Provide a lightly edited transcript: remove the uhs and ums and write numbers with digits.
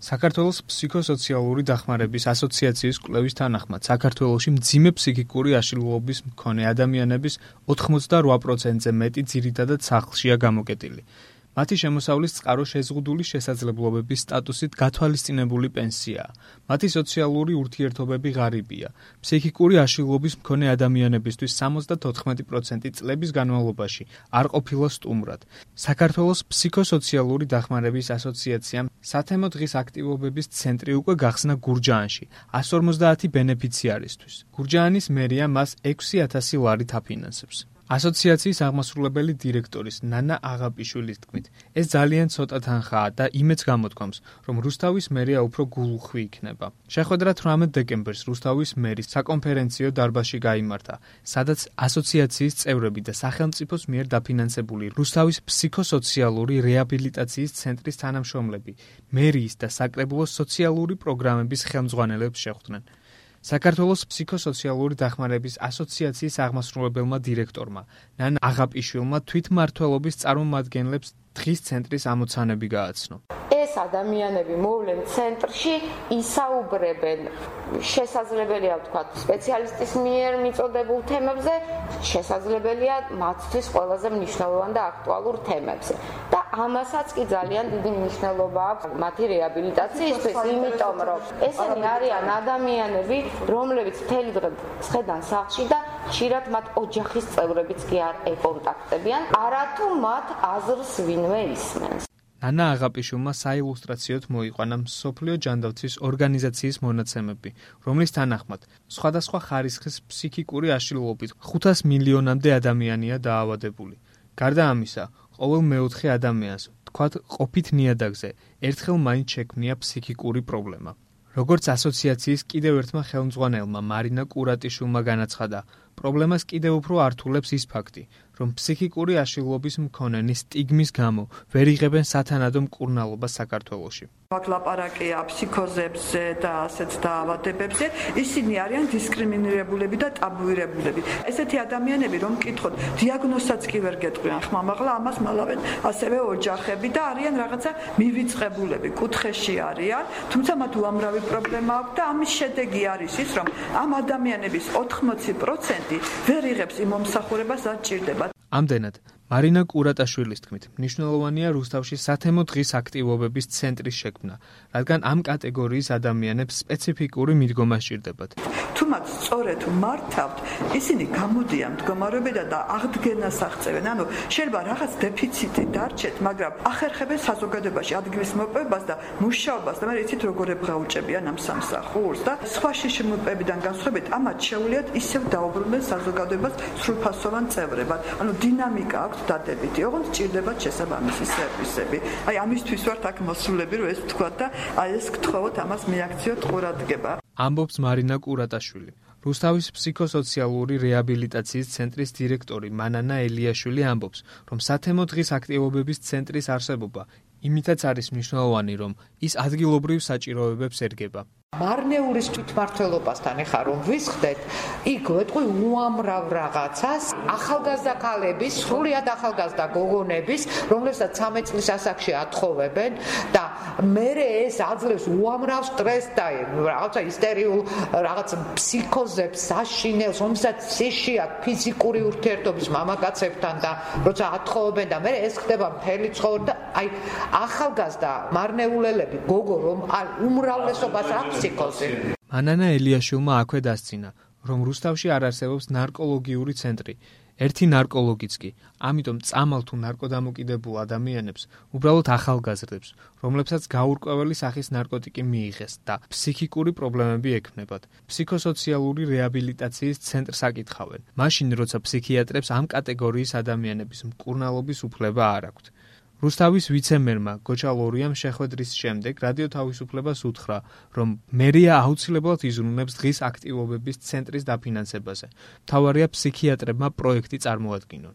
საქართველოს ფსიქოსოციალური დახმარების ასოციაციის კვლევის თანახმად, საქართველოში მძიმე ფსიქიკური აშლილობის მქონე ადამიანების 88%-ზე მეტი ძირითადად სახლშია გამოკეტილი. მათი შემოსავლის წყარო შეზღუდული შესაძლებლობების სტატუსით გათვალისწინებული პენსიაა. მათი სოციალური ურთიერთობები ღარიბია. ფსიქიკური აშლილობის მქონე ადამიანებისთვის 74% წლების განმავლობაში არ ყოფილა სტუმრად. საქართველოს ფსიქოსოციალური დახმარების ასოციაციამ სათემო დღის აქტივობების ცენტრი უკვე გახსნა გურჯაანში 150 ბენეფიციარისთვის. გურჯაანის მერია მას 6,000 ლარით აფინანსებს. ასოციაციის აღმასრულებელი დირექტორის ნანა აღაპიშვილის თქმით, ეს ძალიან ცოტა თანხაა და იმეც გამოთქვამს, რომ რუსთავის მერია უფრო გულუხვი იქნება. შეხვედრა 18 დეკემბერს რუსთავის მერის საკონფერენციო დარბაზში გაიმართა, სადაც ასოციაციის წევრები და სახელმწიფოს მიერ დაფინანსებული რუსთავის ფსიქოსოციალური რეაბილიტაციის ცენტრის თანამშრომლები, მერიის და საკრებულოს სოციალური პროგრამების ხელმძღვანელებს შეხვდნენ. საქართველოს ფსიქოსოციალური დახმარების ასოციაციის აღმასრულებელმა დირექტორმა ნანა აღაპიშვილმა თვითმმართველობის წარმომადგენლებს დღის ცენტრის ამოცანები გააცნო. ეს ადამიანები მოვლენ ცენტრში, ისაუბრებენ შესაძლებელია ვთქვათ სპეციალისტის მიერ მიწოდებულ თემებზე, შესაძლებელია მათთვის ყველაზე მნიშვნელოვან და აქტუალურ თემებზე. და ამასაც კი ძალიან დიდი მნიშვნელობა აქვს მათი რეაბილიტაციისთვის, იმიტომ რომ ესენი არიან ადამიანები, რომლებიც მთელი დღე ხედან სახლში და ხშირად მათ ოჯახის წევრებიც კი არ ეკონტაქტებიან, არათუ მათ აზრს ვინმე ისმენს. ნანა აღაპიშვილმა საილუსტრაციოდ მოიყვანა მსოფლიო ჯანდაცვის ორგანიზაციის მონაცემები, რომლის თანახმად სხვადასხვა ხარისხის ფსიქიკური აშლილობით 500 მილიონამდე ადამიანია დაავადებული. გარდა ამისა, ყოველ მეოთხე ადამიანს, თქვათ ყოფით ნიადაგზე, ერთხელ მაინც შექმნია ფსიქიკური პრობლემა. როგორც ასოციაციის კიდევ ერთმა ხელმძღვანელმა მარინა კურატიშვილმა განაცხადა, პრობლემას კიდევ უფრო ართულებს ის ფაქტი, რომ ფსიქიკური აშლილობის მქონენი სტიგმის გამო ვერ იღებენ სათანადო მკურნალობას საქართველოში. ლაპარაკია ფსიქოზებზე და ასეთ დაავადებებზე, ისინი არიან დისკრიმინირებულები და ტაბუირებულები. ესეთი ადამიანები, რომ მკითხოთ, დიაგნოზსაც კი ვერ გეტყვიან ხმამაღლა, ამას მალავენ ასევე ოჯახები და არიან რაღაცა მივიწყებულები, კუთხეში არიან, თუმცა მათ უამრავი პრობლემა აქვს და ამის შედეგი არის ის, რომ ამ ადამიანების 80% ვერ იღებს იმ მომსახურებას, რაც ჭირდება. ამდენად, მარინა კურატაშვილის თქმით, მნიშვნელოვანია რუსთავში სათემო დღის აქტივობების ცენტრის შექმნა, რადგან ამ კატეგორიის ადამიანებს სპეციფიკური მიდგომა სჭირდებათ. თუ მათ სწორედ მართავთ, ისინი გამოდიან მდგომარეობიდან და აღდგენას აღწევენ. ანუ შეიძლება რაღაც დეფიციტი დარჩეთ, მაგრამ ახერხებენ საზოგადოებაში ადგილის მოპოვებას და მუშაობას და მე იცით როგორ ებრაუჭებიან ამ სამსახურს და სხვა შიშმოპოვებიდან განსხვავებით, ამათ შეუძლიათ ისევ დაუბრუნდნენ საზოგადოებას სრულფასოვან წევრებად. ანუ დინამიკა აქვს დადებითი, ოღონდ სჭირდებათ შესაბამისი სერვისები. აი ამისთვის ვართ აქ მოსულები, რომ ეს ვთქვათ და აი ეს გთხოვოთ ამას მიაქციოთ ყურადღება. ამბობს მარინა კურატაშვილი. რუსთავის ფსიქოსოციალური რეაბილიტაციის ცენტრის დირექტორი მანანა ელიაშვილი ამბობს, რომ სათემო დღის აქტივობების ცენტრის არსებობა იმითაც არის მნიშვნელოვანი, რომ ის ადგილობრივ საჭიროებებს ერგება. მარნეულის თვითმმართველობასთან ეხა რომ ვისხდეთ, იქ ვეთყვი უამრავ რაღაცას, ახალგაზრდა ქალების, სრულიად ახალგაზრდა გოგონების, რომლებსაც 13 წლის ასაკში ათხოვებენ და მერე ეს აძლევს უამრავ სტრესს და რაღაცა ისტერიულ რაღაც ფსიქოზებს, საშინელს, რომელსაც სიშიათ ფიზიკური ურთიერთობის მამაკაცებთან და როცა ათხოვებენ და მერე ეს ხდება მთელი ცხოვრება და აი ახალგაზრდა მარნეულელები გოგო რომ უმრავლესობას აქვს მანანა ელიაშვილმა აქვე დასცინა, რომ რუსთავში არ არსებობს ნარკოლოგიური ცენტრი, ერთი ნარკოლოგიც კი, ამიტომ წამალ თუ ნარკოდამოკიდებულ ადამიანებს, უბრალოდ ახალგაზრდებს, რომლებსაც გაურკვეველი სახის ნარკოტიკი მიიღეს და ფსიქიკური პრობლემები ექმნებათ, ფსიქოსოციალური რეაბილიტაციის ცენტრს აკითხავენ, მაშინ როცა ფსიქიატრებს ამ კატეგორიის ადამიანების მკურნალობის უფლება არ აქვთ. რუსთავის ვიცე-მერმა გოჩა ლორიამ შეხვედრის შემდეგ რადიო თავისუფლებას უთხრა, რომ მერია აუცილებლად იზრუნებს დღის აქტივობების ცენტრის დაფინანსებაზე. მთავარია ფსიქიატრებმა პროექტი წარმოადგინონ.